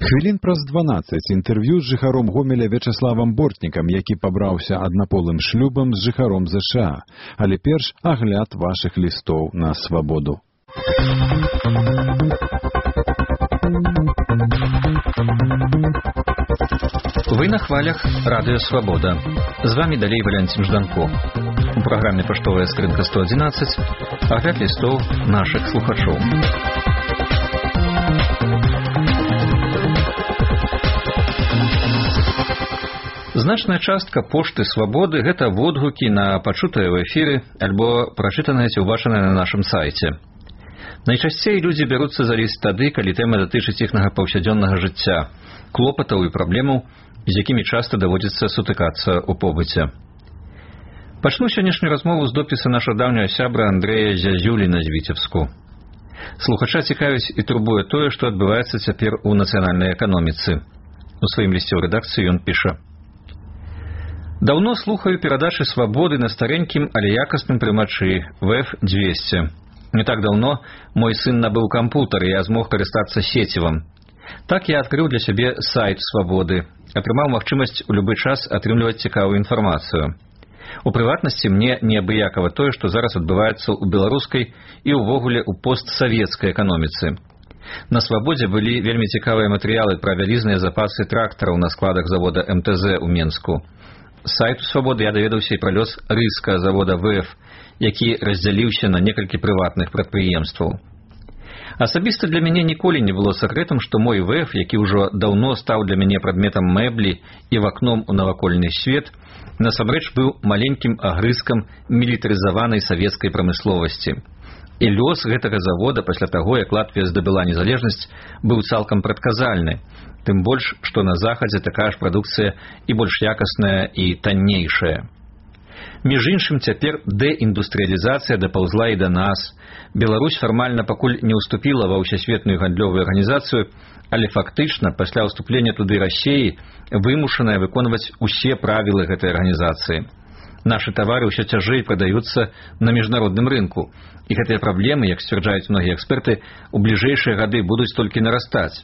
Хвілін праз 12 інтэрв'ю з жыхаром Гомеля Вячаславам Бортнікам, які пабраўся аднаполым шлюбам з жыхаром ЗША. Але перш агляд вашых лістоў на свабоду. Вы на хвалях Радио Свобода. З вами далей Валентин Жданко. У праграме «Паштовая скрынка 111» агляд лістоў нашых слухачоў. Значная частка пошты «Свободы» – гэта водгукі на пачутае ў эфіры альбо прачытанае ці ўбачанае на нашым сайце. Найчасцей людзі бяруцца за ліст тады, калі тэма датычыць іхнага паўсядзённага жыцця, клопатаў і праблемаў, з якімі часта даводзіцца сутыкацца ў побыце. Пачну сённяшнюю размову з допіса нашага даўняга сябра Андрэя Зязюліна з Віцебску. Слухача цікавіць і турбуе тое, што адбываецца цяпер у нацыянальнай эканоміцы. У сваім лісце ў рэдакцыю ён піша: «Давно слухаю перадачы «Свободы» на старенькім, але якасным прымачы VF200. Не так давно мой сын набыў кампутер, і я змог карыстацца сецівам. Так я адкрыў для сябе сайт «Свободы», атрымаў магчымасць у любы час атрымліваць цікавую інфармацыю. У прыватнасці мне неабыякава тое, што зараз адбываецца ў беларускай і ўвогуле ў постсавецкай эканоміцы. На «Свободзе» былі вельмі цікавыя матэрыялы пра вялізныя запасы трактараў на складах завода МТЗ ў Менску. З сайту «Свободы» я даведаўся і пра лёс рыска завода ВФ, які раздзяліўся на некалькі прыватных прадпрыемстваў. Асабіста для мяне ніколі не было сакрэтам, што мой ВФ, які ўжо даўно стаў для мяне прадметам мэблі і вакном у навакольны свет, насамрэч быў маленькім агрызкам мілітарызаванай савецкай прамысловасці. І лёс гэтага завода пасля таго, як Латвія здабыла незалежнасць, быў цалкам прадказальны, тым больш, што на захадзе такая ж прадукцыя і больш якасная і таннейшая. Між іншым, цяпер дэіндустрыялізацыя дапаўзла і да нас. Беларусь фармальна пакуль не ўступіла ва ўсесветную гандлёвую арганізацыю, але фактычна пасля ўступлення туды Расіі вымушаная выконваць усе правілы гэтай арганізацыі. Нашы тавары ўсё цяжэй прадаюцца на міжнародным рынку, і гэтыя праблемы, як сцвярджаюць многія эксперты, у бліжэйшыя гады будуць толькі нарастаць.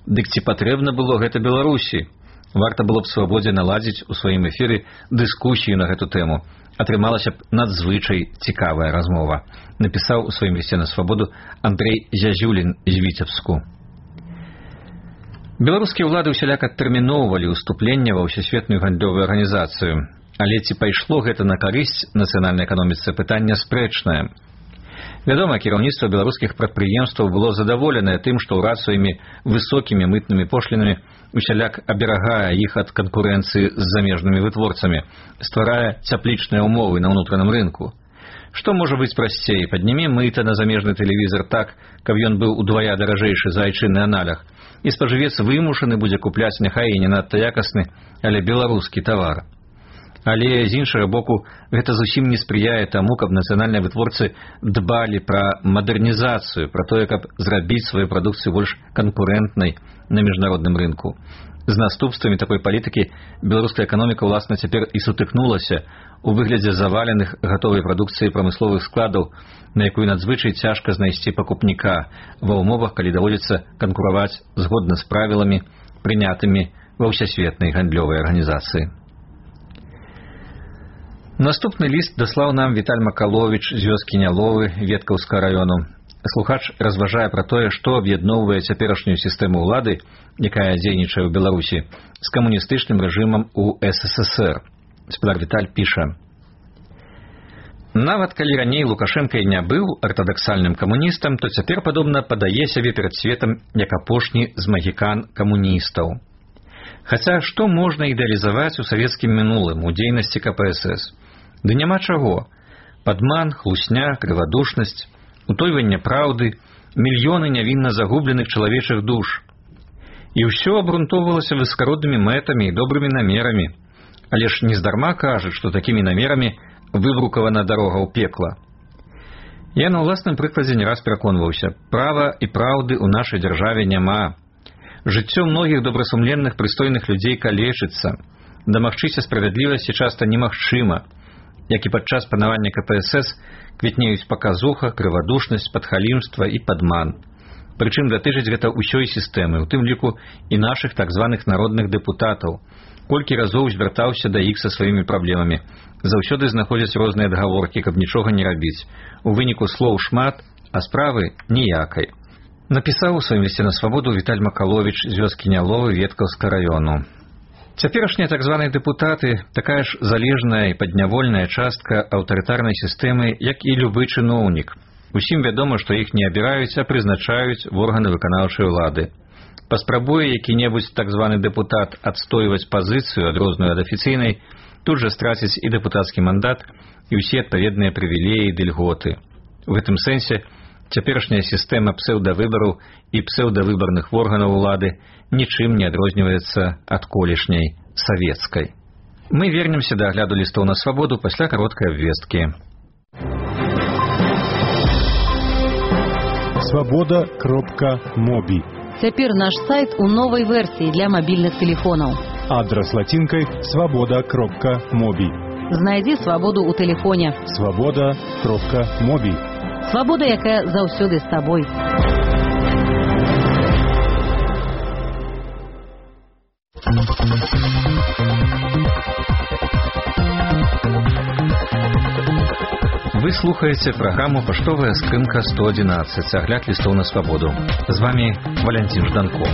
Дык ці патрэбна было гэта Беларусі? Варта было б «Свободзе» наладзіць у сваім эфіры дыскусію на гэту тэму. Атрымалася б надзвычай цікавая размова, напісаў у сваім лісце на «Свободу» Андрэй Зязюлін з Віцебску. Беларускія ўлады ўсяляк адтэрміноўвалі ўступленне ва ўсесветную гандлёвую арганізацыю. Але ці пайшло гэта на карысць нацыянальнай эканоміцы, пытанне спрэчнае. Вядома, кіраўніцтва беларускіх прадпрыемстваў было задаволенае тым, што ўрад сваімі высокімі мытнымі пошлінамі усяляк аберагае іх ад канкурэнцыі з замежнымі вытворцамі, стварае цяплічныя ўмовы на ўнутраным рынку. Што можа быць прасцей? Паднімі мыта на замежны тэлевізар так, каб ён быў удвая даражэйшы за айчынны аналаг, і спажывец вымушаны будзе купляць няхай і не надта якасны, але беларускі тавар. Але, з іншага боку, гэта зусім не спрыяе таму, каб нацыянальныя вытворцы дбалі пра мадэрнізацыю, пра тое, каб зрабіць сваю прадукцыю больш канкурэнтнай на міжнародным рынку. З наступствамі такой палітыкі беларуская эканоміка, уласна, цяпер і сутыкнулася у выглядзе заваленых гатовай прадукцыі прамысловых складаў, на якую надзвычай цяжка знайсці пакупніка ва ўмовах, калі даводзіцца канкураваць згодна з правіламі, прынятымі ва ўсесветнай гандлёвай арганізацыі. Наступны ліст даслаў нам Віталь Макаловіч з вёскі Няловы Веткаўскага раёну. Слухач разважае пра тое, што аб'ядноўвае цяперашнюю сістэму ўлады, якая дзейнічае ў Беларусі, з камуністычным рэжымам у СССР. Спадар Віталь піша: «Нават калі раней Лукашенка і не быў артадаксальным камуністам, то цяпер, падобна, падае сябе перад светам як апошні з магікан камуністаў. Хаця што можна ідэалізаваць у савецкім мінулым, у дзейнасці КПСС? Ды няма чаго. Падман, хлусня, крывадушнасць, утойванне праўды, мільёны нявінна загубленых чалавечых душ. І ўсё абрунтоўвалася высакароднымі мэтамі і добрымі намерамі. Але ж нездарма кажуць, што такімі намерамі выбрукавана дарога ў пекла. Я на ўласным прыкладзе не раз пераконваўся, права і праўды ў нашай дзяржаве няма. Жыццё многіх добрасумленных, прыстойных людзей калечыцца. Дамагчыся справядлівасці часта немагчыма. Як і падчас панавання КПСС квітнеюць паказуха, крывадушнасць, падхалімства і падман. Прычым датычыць гэта ўсёй сістэмы, у тым ліку і нашых так званых народных дэпутатаў. Колькі разоў звяртаўся да іх са сваімі праблемамі. Заўсёды знаходзяць розныя адгаворкі, каб нічога не рабіць. У выніку слоў шмат, а справы ніякай. Напісаў у сваім лісце на свабоду Віталь Макаловіч з вёскі Няловы Веткаўскага раёну. Цяперашнія так званыя дэпутаты такая ж залежная і паднявольная частка аўтарытарнай сістэмы, як і любы чыноўнік. Усім вядома, што іх не абіраюць, а прызначаюць в органы выканаўчай улады. Паспрабуе які-небудзь так званы дэпутат адстойваць пазіцыю, адрозную ад афіцыйнай, тут жа страціць і дэпутацкі мандат, і ўсе адпаведныя прывілеі ды льготы. У гэтым сэнсе цяперашняя сістэма псеўдавыбараў і псеўдавыбарных органаў улады нічым не адрозніваецца ад колішняй савецкай. Мы вернемся да агляду лістоў на свабоду пасля кароткай абвесткі. Свабода.моби. Цяпер наш сайт у новай версіі для мабільных тэлефонаў. Адрас лацінкай свабода.моби. Знайдзі свабоду ў тэлефоне. Свабода.моби. Свабода, якая заўсёды з табой. Вы слухаеце праграму «Паштовая скрынка 111», агляд лістоў на свабоду. З вами Валянцін Жданко.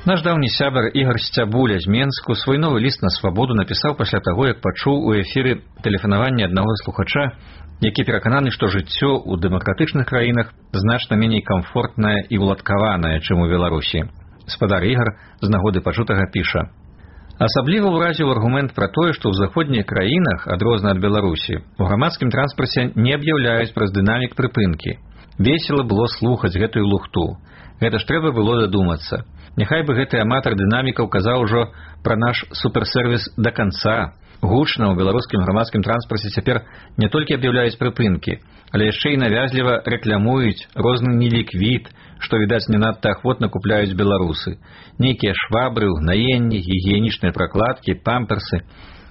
Наш даўні сябар Ігар Сцябуля з Менску свой новы ліст на свабоду напісаў пасля таго, як пачуў у эфіры тэлефанаванне аднаго слухача, які перакананы, што жыццё ў дэмакратычных краінах значна меней камфортнае і ўладкаванае, чым у Беларусі. Спадар Ігар з нагоды пачутага піша: асабліва ўразіў аргумент пра тое, што ў заходніх краінах, адрозна ад Беларусі, у грамадскім транспарце не аб'яўляюць праз дынамік прыпынкі. Весела было слухаць гэтую лухту. Гэта ж трэба было дадумацца. Няхай бы гэты аматар дынамікаў казаў ужо пра наш суперсервіс да канца. Гучна ў беларускім грамадскім транспарце цяпер не толькі аб'яўляюць прыпынкі, але яшчэ і навязліва рэклямуюць розны неліквід, што, відаць, не надта ахвотна купляюць беларусы. Нейкія швабры, угнаенні, гігіенічныя пракладкі, памперсы.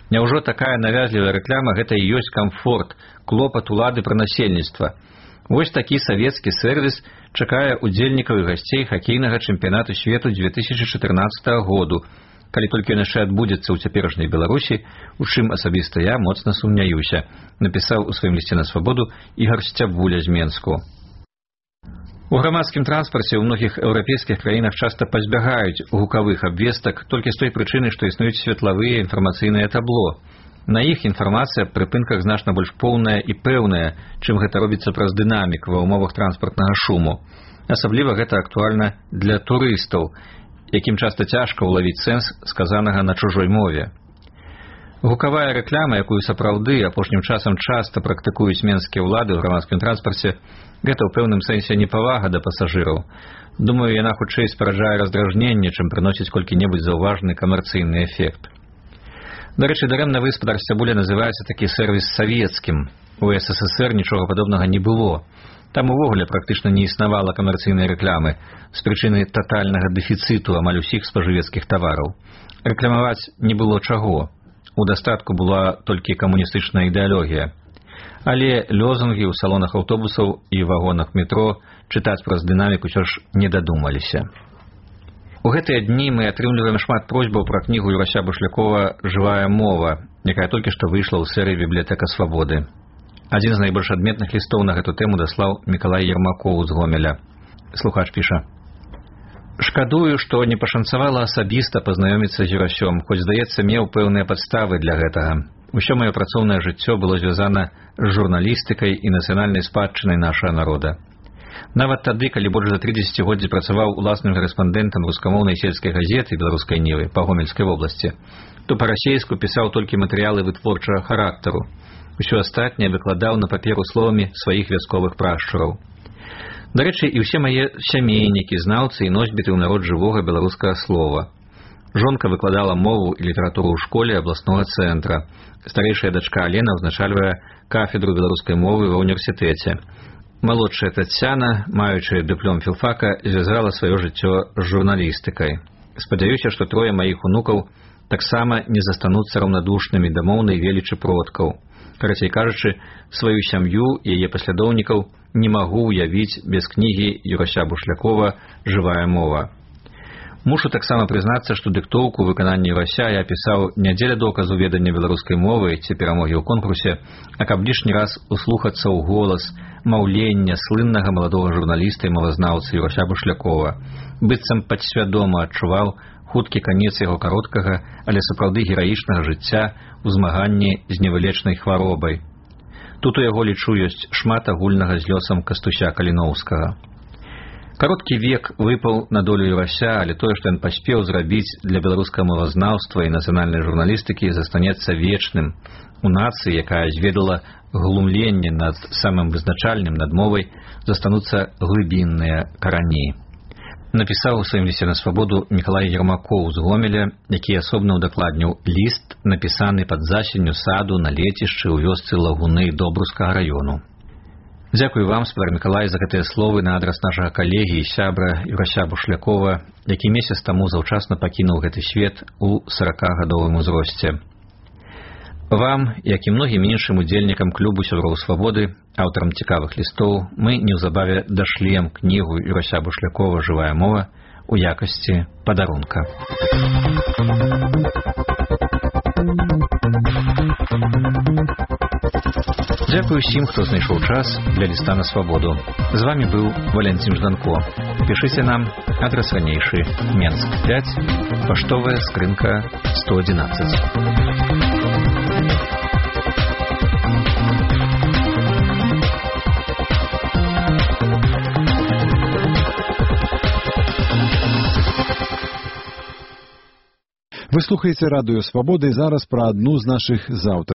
Няўжо такая навязлівая рэкляма гэта і ёсць камфорт, клопат улады пра насельніцтва? Вось такі савецкі сервіс чакае удзельнікаў і гасцей хакейнага чэмпіянату свету 2014 году, калі толькі ён яшчэ адбудзецца ў цяперашняй Беларусі, у чым асабіста я моцна сумняюся, напісаў у сваім лісце на свабоду Ігар Сцябуля з Менску. У грамадскім транспарце ў многіх еўрапейскіх краінах часта пазбягаюць гукавых абвестак толькі з той прычыны, што існуюць светлавыя інфармацыйныя табло. На іх інфармацыя аб прыпынках значна больш поўная і пэўная, чым гэта робіцца праз дынамік ва ўмовах транспартнага шуму. Асабліва гэта актуальна для турыстаў, якім часта цяжка ўлавіць сэнс сказанага на чужой мове. Гукавая рэкляма, якую сапраўды апошнім часам часта практыкуюць менскія ўлады ў грамадскім транспарце, гэта ў пэўным сэнсе непавага да пасажыраў. Думаю, яна хутчэй спараджае раздражненне, чым прыносіць колькі-небудзь заўважны камерцыйны эфект. Дарэчы, дарэмна вы, спадар Сцябуля, называеце такі сервіс савецкім. У СССР нічога падобнага не было. Там увогуле практычна не існавала камерцыйнай рэклямы з прычыны татальнага дэфіцыту амаль усіх спажывецкіх тавараў. Рэкламаваць не было чаго. У дастатку была толькі камуністычная ідэалогія. Але лёзунгі ў салонах аўтобусаў і вагонах метро чытаць праз дынамік усё ж не дадумаліся. У гэтыя дні мы атрымліваем шмат просьбаў пра кнігу Юрася Бушлякова «Жывая мова», якая толькі што выйшла ў серыі «Бібліятэка свабоды». Адзін з найбольш адметных лістоў на гэту тэму даслаў Мікалай Ермакоў з Гомеля. Слухач піша: «Шкадую, што не пашанцавала асабіста пазнаёміцца з Юрасём, хоць, здаецца, меў пэўныя падставы для гэтага. Усё маё працоўнае жыццё было звязана з журналістыкай і нацыянальнай спадчынай нашага народа. Нават тады, калі больш за 3 дзесяцігоддзі працаваў уласным карэспандэнтам рускамоўнай сельскай газеты «Беларускай Нівы» па Гомельскай вобласці, то па-расейску пісаў толькі матэрыялы вытворчага характару. Усё астатняе выкладаў на паперу словамі сваіх вясковых прашчураў. Дарэчы, і ўсе мае сямейнікі, знаўцы і носьбіты ў народ жывога беларускага слова. Жонка выкладала мову і літаратуру ў школе абласнога цэнтра. Старэйшая дачка Алена ўзначальвае кафедру беларускай мовы ва ўніверсітэце. Малодшая Тацяна, маючы дыплом філфака, звязала сваё жыццё з журналістыкай. Спадзяюся, што 3 маіх унукаў таксама не застануцца раўнадушнымі да моўнай велічы продкаў. Карацей кажучы, сваю сям'ю і яе паслядоўнікаў не магу ўявіць без кнігі Юрася Бушлякова «Жывая мова». Мушу таксама прызнацца, што дыктоўку выканання Юрася я пісаў не дзеля доказу ведання беларускай мовы ці перамогі ў конкурсе, а каб лішні раз услухацца ў голас маўлення слыннага маладога журналіста і мовазнаўцы Юрася Бушлякова, быццам падсвядома адчуваў хуткі канец яго кароткага, але сапраўды гераічнага жыцця ў змаганні з невылечнай хваробай. Тут у яго, лічу, ёсць шмат агульнага з лёсам Кастуся Каліноўскага. Кароткі век выпаў на долю Юрася, але тое, што ён паспеў зрабіць для беларускага мовазнаўства і нацыянальнай журналістыкі, застанецца вечным. У нацыі, якая зведала глумленне над самым вызначальным, над мовай, застануцца глыбінныя карані. Напісаў у сваім лісце на свабоду Мікалай Ермакоў з Гомеля, які асобна ўдакладніў ліст, напісаны пад засенню саду на лецішчы ў вёсцы Лагуны Добрускага раёну. Дзякую вам, спадар Мікалай, за гэтыя словы на адрас нашага калегі і сябра Юрася Бушлякова, які месяц таму заўчасна пакінуў гэты свет у 40-гадовым узросце. Вам, як і многім іншым удзельнікам клубу сяброў свабоды, аўтарам цікавых лістоў, мы неўзабаве дашлем кнігу Юрася Бушлякова «Жывая мова» у якасці падарунка. Дзякую ўсім, хто знайшоў час для ліста на свабоду. З вами быў Валянцін Жданко. Пішыце нам, адрас ранейшы, Менск 5, паштовая скрынка 111. Вы слухаеце радыё Свабоды, зараз пра адну з нашых заўтар